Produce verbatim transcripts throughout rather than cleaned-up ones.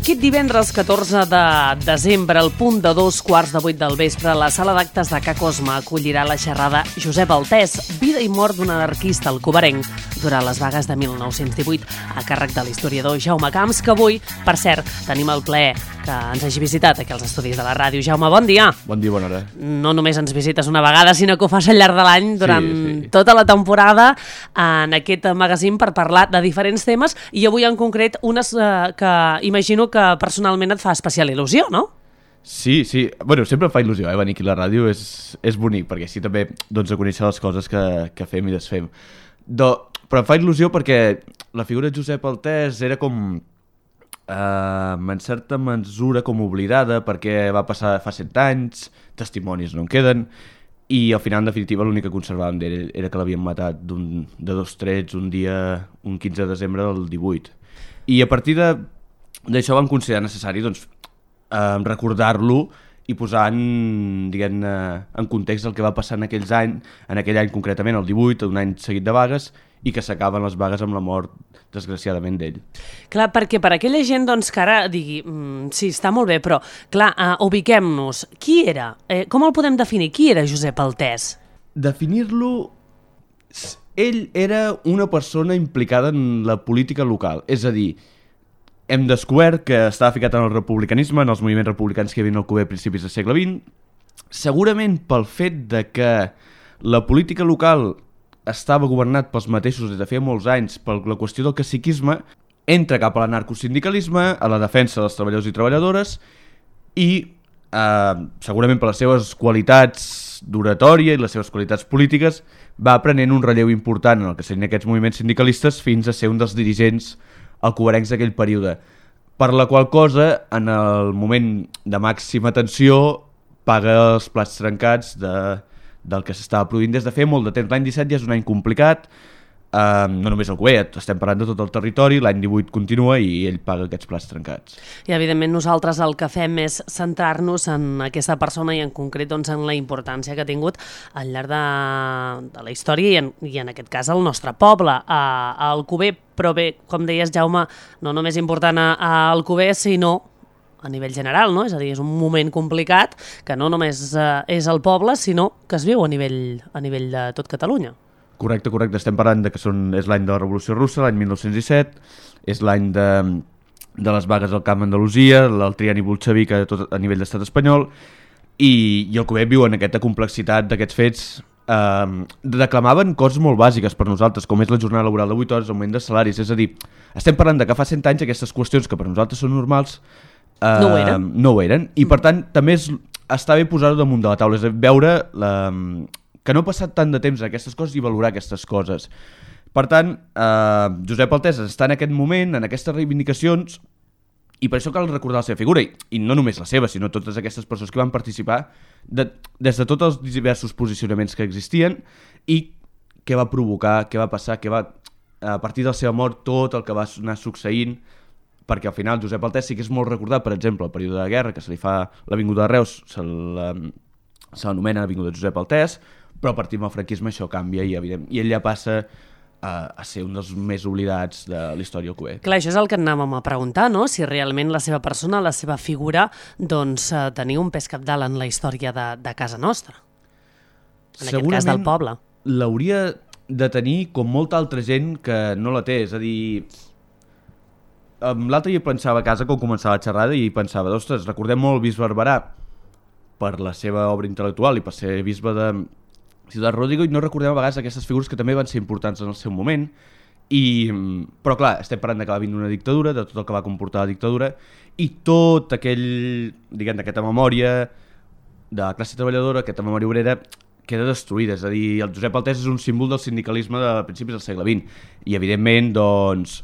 Aquest divendres catorze de desembre, al punt de dos quarts de vuit del vespre, la sala d'actes de Ca Cosme acollirà la xerrada Josep Altès, vida i mort d'un anarquista alcobenenc durant les vagues de mil nou-cents divuit, a càrrec de l'historiador Jaume Camps, que avui, per cert, tenim el plaer que ens hagi visitat aquí als estudis de la ràdio. Jaume, bon dia. Bon dia, bona hora. No només ens visites una vegada, sinó que ho fas al llarg de l'any, durant sí, sí. tota la temporada, en aquest magazín per parlar de diferents temes, i avui en concret unes eh, que imagino que personalment et fa especial il·lusió, no? Sí, sí. Bueno, sempre em fa il·lusió, eh? Venir aquí a la ràdio és, és bonic, perquè així també doncs, a conèixer les coses que, que fem i desfem. Do, però em fa il·lusió perquè la figura de Josep Altès era com, eh, en certa mesura, com oblidada, perquè va passar fa cent anys, testimonis no en queden, i al final, en definitiva, l'únic que conservàvem d'ell era que l'havien matat de dos trets un dia, un quinze de desembre del divuit. I a partir de d'això vam considerar necessari doncs, eh, recordar-lo i posar en, diguem-ne, en context el que va passar en aquells anys, en aquell any concretament, el divuit, un any seguit de vagues, i que s'acaben les vagues amb la mort, desgraciadament, d'ell. Clar, perquè per aquella gent doncs, que ara digui, mm, sí, està molt bé, però, clar, uh, ubiquem-nos. Qui era? Eh, com el podem definir? Qui era Josep Altès? Definir-lo... Ell era una persona implicada en la política local, és a dir, hem descobert que estava ficat en el republicanisme, en els moviments republicans que hi havia al Cuber a principis del segle vint, segurament pel fet de que la política local estava governat pels mateixos des de feia molts anys, per la qüestió del caciquisme, entra cap a l'anarcosindicalisme, a la defensa dels treballadors i treballadores, i eh, segurament per les seves qualitats d'oratòria i les seves qualitats polítiques, va aprenent un relleu important en el que serien aquests moviments sindicalistes fins a ser un dels dirigents alcobenencs d'aquell període, per la qual cosa, en el moment de màxima tensió, paga els plats trencats de, del que s'estava produint des de fer molt de temps. L'any disset ja és un any complicat, eh, no només el Cuber, estem parlant de tot el territori, l'any divuit continua i ell paga aquests plats trencats. I evidentment nosaltres el que fem és centrar-nos en aquesta persona i en concret doncs, en la importància que ha tingut al llarg de, de la història i en, i en aquest cas el nostre poble, a, a Alcover. Però bé, com deies, Jaume, no només important a, a Alcover, sinó a nivell general, no? És a dir, és un moment complicat que no només eh, és el poble, sinó que es viu a nivell, a nivell de tot Catalunya. Correcte, correcte. Estem parlant de que són, és l'any de la Revolució Russa, l'any mil nou-cents disset, és l'any de, de les vagues al Camp d'Andalusia, el trienni bolxevic a, tot, a nivell d'estat espanyol, i, i el Cuber viu en aquesta complexitat d'aquests fets. Uh, reclamaven coses molt bàsiques per nosaltres, com és la jornada laboral de vuit hores, augment de salaris, és a dir, estem parlant de que fa cent anys aquestes qüestions que per nosaltres són normals uh, no ho eren, no ho eren. I per tant també és, està bé posar-ho damunt de la taula, és a dir, veure la, que no ha passat tant de temps en aquestes coses i valorar aquestes coses. Per tant, uh, Josep Altès està en aquest moment, en aquestes reivindicacions, i per això cal recordar la seva figura, i, i no només la seva, sinó totes aquestes persones que van participar de, des de tots els diversos posicionaments que existien i què va provocar, què va passar, què va, a partir de la seva mort, tot el que va anar succeint, perquè al final Josep Altès sí que és molt recordat, per exemple, el període de guerra, que se li fa l'Avinguda de Reus, se l'anomena l'Avinguda Josep Altès, però a partir del franquisme això canvia i, evident, i ell ja passa a, a ser un dels més oblidats de la història del Cuber. Clar, això és el que anàvem a preguntar, no? Si realment la seva persona, la seva figura, doncs eh, tenia un pes cabdal en la història de, de casa nostra. En aquest cas del poble. L'hauria de tenir com molta altra gent que no la té, és a dir... L'altre dia pensava a casa quan començava la xerrada i pensava, ostres, recordem molt el bisbe Barberà per la seva obra intel·lectual i per ser bisbe de Ciutat Rodrigo, i no recordem a vegades aquestes figures que també van ser importants en el seu moment, i, però clar, estem parlant de que va vindre una dictadura, de tot el que va comportar la dictadura, i tot aquell, diguem, d'aquesta memòria de la classe treballadora, aquesta memòria obrera, queda destruïda. És a dir, el Josep Altès és un símbol del sindicalisme de principis del segle vint, i evidentment, doncs,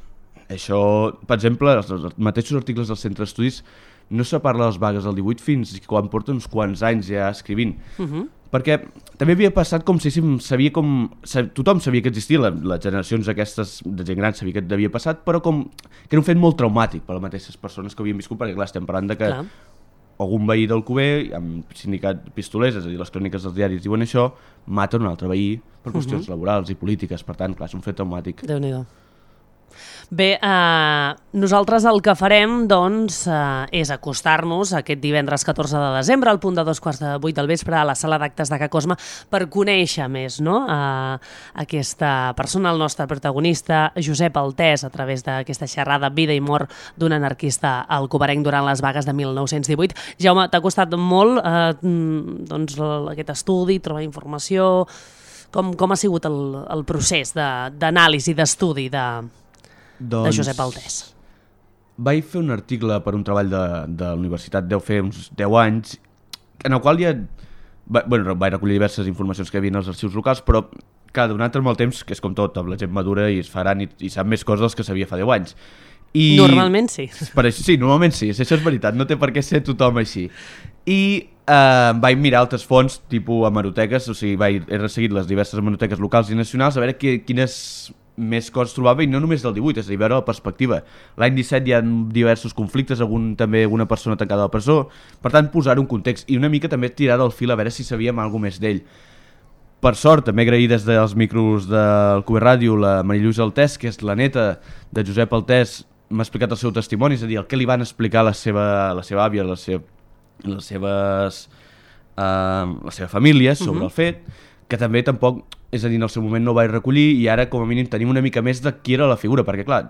això, per exemple, els, els mateixos articles del Centre d'Estudis no se parla de les vagues del divuit fins quan porta uns quants anys ja escrivint. Uh -huh. Perquè també havia passat com si sabia com... Tothom sabia que existia, les generacions aquestes de gent gran sabia que havia passat, però com que era un fet molt traumàtic per a les mateixes persones que havien viscut, perquè clar, estem parlant de que clar, algun veí del Cuber, amb sindicat pistolers, és a dir, les cròniques dels diaris diuen això, mata un altre veí per qüestions uh -huh. laborals i polítiques, per tant, clar, és un fet traumàtic. Déu-n'hi-do. Bé, eh, nosaltres el que farem doncs, eh, és acostar-nos aquest divendres catorze de desembre al punt de dos quarts de vuit del vespre a la sala d'actes de Ca Cosma per conèixer més, no? eh, aquesta persona, el nostre protagonista, Josep Altès, a través d'aquesta xerrada Vida i mort d'un anarquista alcobenc durant les vagues de mil nou-cents divuit. Jaume, t'ha costat molt eh, doncs, aquest estudi, trobar informació. Com, com ha sigut el, el procés d'anàlisi, de, d'estudi de, doncs, de Josep Altès? Vaig fer un article per un treball de, de la universitat, deu fer uns deu anys, en el qual ja va, bueno, vaig recollir diverses informacions que hi havia als arxius locals, però cada donat amb el temps, que és com tot, la gent madura i es faran i, i sap més coses que sabia fa deu anys. I normalment sí. Per això, sí, normalment sí, això és veritat, no té per què ser tothom així. I eh, vaig mirar altres fonts, tipus hemeroteques, o sigui, vaig, he resseguit les diverses hemeroteques locals i nacionals a veure que, quines més coses trobava, i no només del divuit, és a dir, veure la perspectiva. L'any disset hi ha diversos conflictes, algun, també alguna persona tancada a la presó, per tant, posar un context i una mica també tirar del fil a veure si sabíem alguna més d'ell. Per sort, també agrair des dels micros del Q B Ràdio la Marilluís Altès, que és la neta de Josep Altès, m'ha explicat el seu testimoni, és a dir, el que li van explicar la seva, la seva àvia, la seva, les seves, uh, la seva família sobre uh-huh. el fet, que també tampoc, és a dir, en el seu moment no ho vaig recollir, i ara com a mínim tenim una mica més de qui era la figura, perquè clar,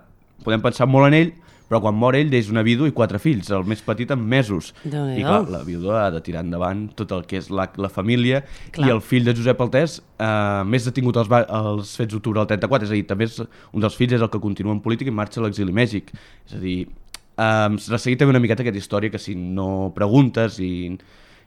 podem pensar molt en ell, però quan mor ell deixa una vídua i quatre fills, el més petit en mesos. I clar, la vídua ha de tirar endavant tot el que és la, la família, clar. I el fill de Josep Altès, eh, més detingut als, als fets d'octubre del trenta-quatre, és a dir, també és, un dels fills és el que continua en política i marxa a l'exili a Mèxic. És a dir, eh, resseguir també una miqueta aquesta història que si no preguntes i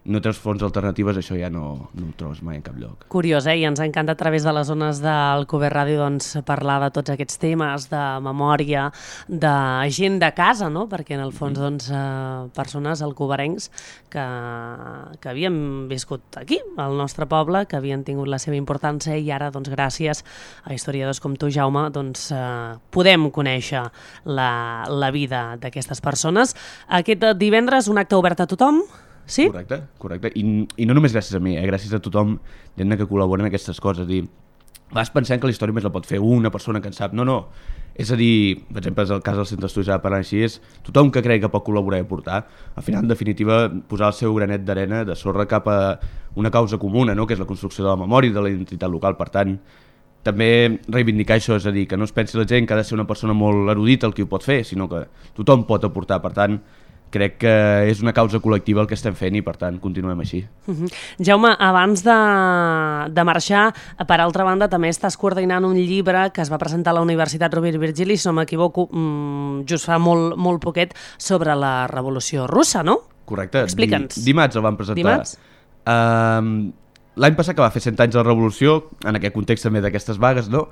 no tens fonts alternatives, això ja no, no ho trobes mai en cap lloc. Curiós, eh? I ens encanta a través de les zones del Q B Ràdio doncs, parlar de tots aquests temes, de memòria, de gent de casa, no? Perquè en el fons doncs, eh, persones alcobencs que, que havien viscut aquí, al nostre poble, que havien tingut la seva importància i ara, doncs, gràcies a historiadors com tu, Jaume, doncs, eh, podem conèixer la, la vida d'aquestes persones. Aquest divendres un acte obert a tothom? Sí? Correcte, correcte. I, i no només gràcies a mi, eh? Gràcies a tothom que col·labora en aquestes coses. Dir, vas pensant que la història més la pot fer una persona que en sap. No, no. És a dir, per exemple, el cas del Centre d'Estudis ara parlant així, és tothom que creu que pot col·laborar i aportar. Al final, en definitiva, posar el seu granet d'arena, de sorra cap a una causa comuna, no? Que és la construcció de la memòria i de la identitat local. Per tant, també reivindicar això, és a dir, que no es pensi la gent que ha de ser una persona molt erudita el qui ho pot fer, sinó que tothom pot aportar. Per tant, crec que és una causa col·lectiva el que estem fent i, per tant, continuem així. Uh-huh. Jaume, abans de, de marxar, per altra banda, també estàs coordinant un llibre que es va presentar a la Universitat Rovira i Virgili, si no m'equivoco, just fa molt, molt poquet, sobre la Revolució Russa, no? Correcte. Explica'ns. Dimarts el van presentar. Dimarts? Uh, L'any passat, que va fer cent anys de la Revolució, en aquest context també d'aquestes vagues, no?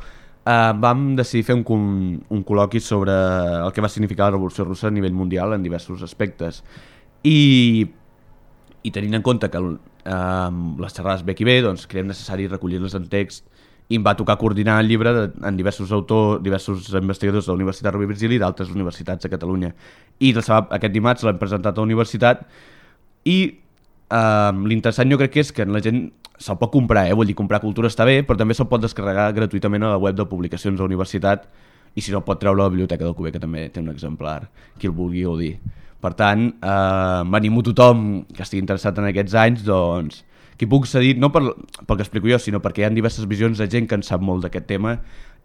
Uh, vam decidir fer un, un col·loqui sobre el que va significar la Revolució Russa a nivell mundial en diversos aspectes. I, i tenint en compte que uh, les xerrades bé i bé, doncs creiem necessari recollir-les en text, i em va tocar coordinar el llibre de, en diversos autors, diversos investigadors de la Universitat Rovira i Virgili i d'altres universitats a Catalunya. I aquest dimarts l'hem presentat a la universitat i uh, l'interessant jo crec que és que la gent se'l pot comprar, eh? Vull dir, comprar cultura està bé, però també se'l pot descarregar gratuïtament a la web de publicacions de la universitat i si no pot treure a la biblioteca del Q B, que també té un exemplar, qui el vulgui gaudir. Per tant, eh, m'animo tothom que estigui interessat en aquests anys, doncs, que puc cedir, no per, pel que explico jo, sinó perquè hi ha diverses visions de gent que en sap molt d'aquest tema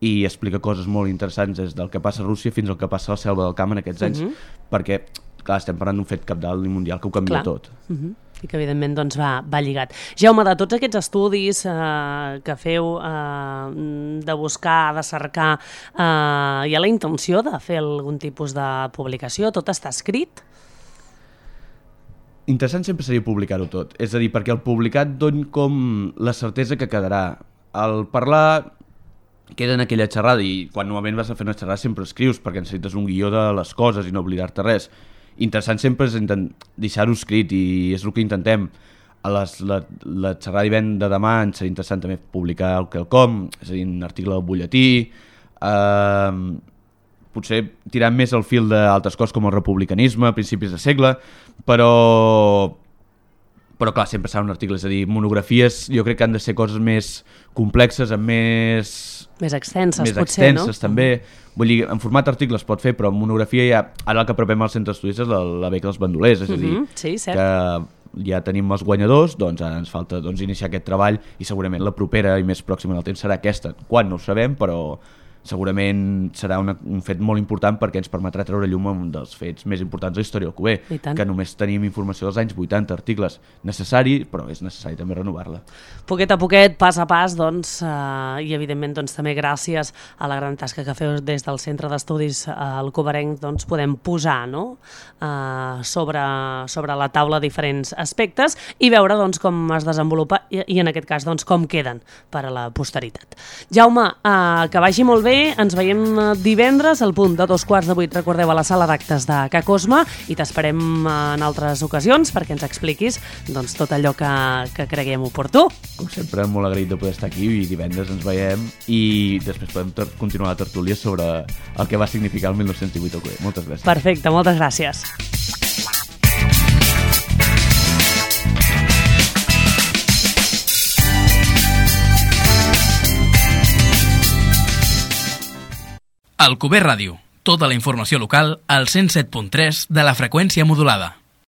i explica coses molt interessants des del que passa a Rússia fins al que passa a la selva del camp en aquests anys, uh-huh. perquè, clar, estem parlant d'un fet cabdal i mundial que ho canvia clar. Tot. Uh-huh. I que evidentment doncs, va, va lligat. Jaume, de tots aquests estudis eh, que feu eh, de buscar, de cercar, eh, hi ha la intenció de fer algun tipus de publicació? Tot està escrit? Interessant sempre seria publicar-ho tot. És a dir, perquè el publicat doni com la certesa que quedarà. Al parlar queda en aquella xerrada i quan normalment vas a fer una xerrada sempre escrius perquè necessites un guió de les coses i no oblidar-te res. Interessant sempre és deixar-ho escrit i és el que intentem. A les, la, la xerrada de demà ens serà interessant també publicar el quelcom, és a dir, un article del butlletí, eh, potser tirant més el fil d'altres coses com el republicanisme a principis de segle, però, però clar, sempre serà un article, és a dir, monografies jo crec que han de ser coses més complexes, amb més... Més extenses, més potser, extenses, no? també. Vull dir, en format article es pot fer, però en monografia ja... Ara el que apropem als centres estudis és la, la beca dels bandolers, és a dir, Mm-hmm, sí, cert. que ja tenim els guanyadors, doncs ara ens falta doncs, iniciar aquest treball i segurament la propera i més pròxima en el temps serà aquesta. Quan no ho sabem, però segurament serà una, un fet molt important perquè ens permetrà treure llum a un dels fets més importants de la història del Cuber, que només tenim informació dels anys vuitanta, articles necessari, però és necessari també renovar-la. Poquet a poquet, pas a pas, doncs, eh, i evidentment doncs, també gràcies a la gran tasca que feu des del Centre d'Estudis eh, Alcoberenc, doncs, podem posar, no? eh, sobre, sobre la taula diferents aspectes i veure doncs, com es desenvolupa i, i en aquest cas doncs, com queden per a la posteritat. Jaume, eh, que vagi molt bé. Ens veiem divendres al punt de dos quarts de vuit, recordeu, a la sala d'actes de Ca Cosma, i t'esperem en altres ocasions perquè ens expliquis doncs, tot allò que, que creguem oportú. Com sempre, molt agraït de poder estar aquí i divendres ens veiem i després podem continuar la tertúlia sobre el que va significar el mil nou-cents divuit al Cuber. Moltes gràcies. Perfecte, moltes gràcies. Alcover Ràdio, tota la informació local al cent set punt tres de la freqüència modulada.